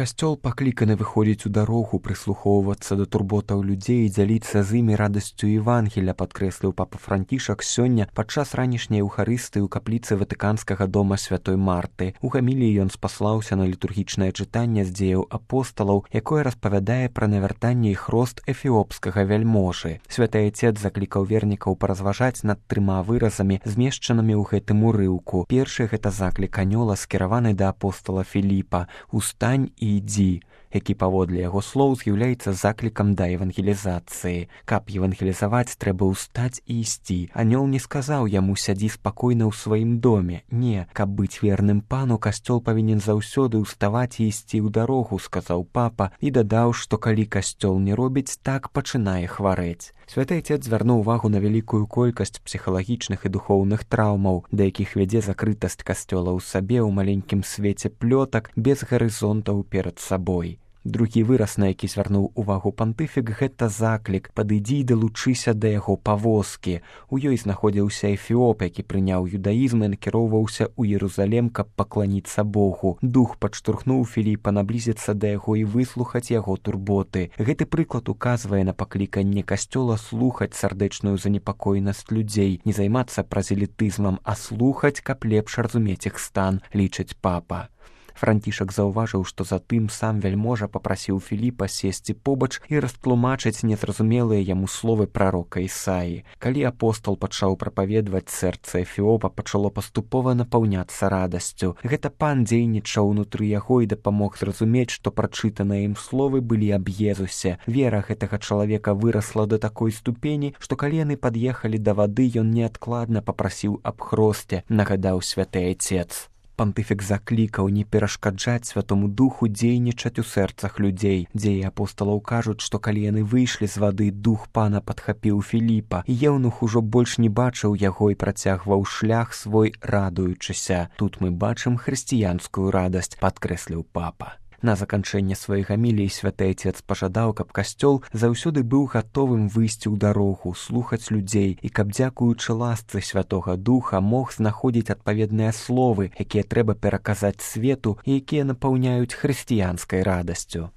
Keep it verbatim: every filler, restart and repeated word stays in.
Касцёл пакліканы выходзіць у дарогу, прыслухоўвацца да турботаў людзей і дзяліцца з імі радасцю Евангеля, падкрэсліў папа Францішак сёння падчас ранішняй эўхарыстыі ў капліцы Ватыканскага дома святой Марты. У гаміліі ён спаслаўся на літургічнае чытанне з дзеяў апосталаў, якое распавядае пра навяртанне і хрост эфіопскага вяльможы. Святы Айцец заклікаў вернікаў паразважаць над трыма выразамі, змешчанымі ў гэтым урыўку. Першы гэта заклік анёла, скіраваны да апостала Філіпа: «Устань і ідзі», які паводле яго слоў з'яўляецца заклікам да евангелізацыі. Каб евангелізаваць, трэба ўстаць і ісці. Анёл не сказаў яму: «Сядзі спакойна ў сваім доме». Не, каб быць верным пану, касцёл павінен заўсёды ўставаць і ісці ў дарогу, сказаў папа, і дадаў, што калі касцёл не робіць так, пачынае хварэць. Святы Айцец звярнуў увагу на вялікую колькасць псіхалагічных і духоўных траўмаў, да якіх вядзе закрытасць касцёла ў сабе ў маленькім свеце плётак без гарызонтаў перад сабой. Другі выраз, на які звярнуў увагу пантыфік, гэта заклік: «Падыдзі і далучыся да яго павозкі». У ёй знаходзіўся эфіоп, які прыняў юдаізм і накіроўваўся ў Єрусалем, каб пакланіцца Богу. Дух падштурхнуў Філіпа наблізіцца да яго і выслухаць яго турботы. Гэты прыклад указвае на пакліканне касцёла слухаць сардэчную занепакоенасць людзей, не займацца празелітызмам, а слухаць, каб лепш разумець іх стан, лічыць папа. Францішак заўважыў, што затым сам вяльможа папрасіў Філіпа сесці побач і растлумачыць незразумелыя яму словы прарока Ісаі. Калі апостол пачаў прапаведваць, сэрца эфіопа пачало паступова напаўняцца радасцю. Гэта пан дзейнічаў унутры яго і дапамог зразумець, што прачытаныя ім словы былі аб Езусе. Вера гэтага чалавека вырасла да такой ступені, што калі яны пад'ехалі да вады, ён неадкладна папрасіў аб хросце, нагадаў святы Айцец. Пантыфік заклікаў не перашкаджаць Святому Духу дзейнічаць у сэрцах людзей. Дзеі апосталаў кажуць, што калі яны выйшлі з вады, дух пана падхапіў Філіпа, і еўнух ужо больш не бачыў яго і працягваў шлях свой, радуючыся. Тут мы бачым хрысціянскую радасць, падкрэсліў папа. На заканчэнне сваёй гаміліі святы Айцец пажадаў, каб касцёл заўсёды быў гатовым выйсці ў дарогу, слухаць людзей, і каб, дзякуючы ласцы Святога Духа, мог знаходзіць адпаведныя словы, якія трэба пераказаць свету і якія напаўняюць хрысціянскай радасцю.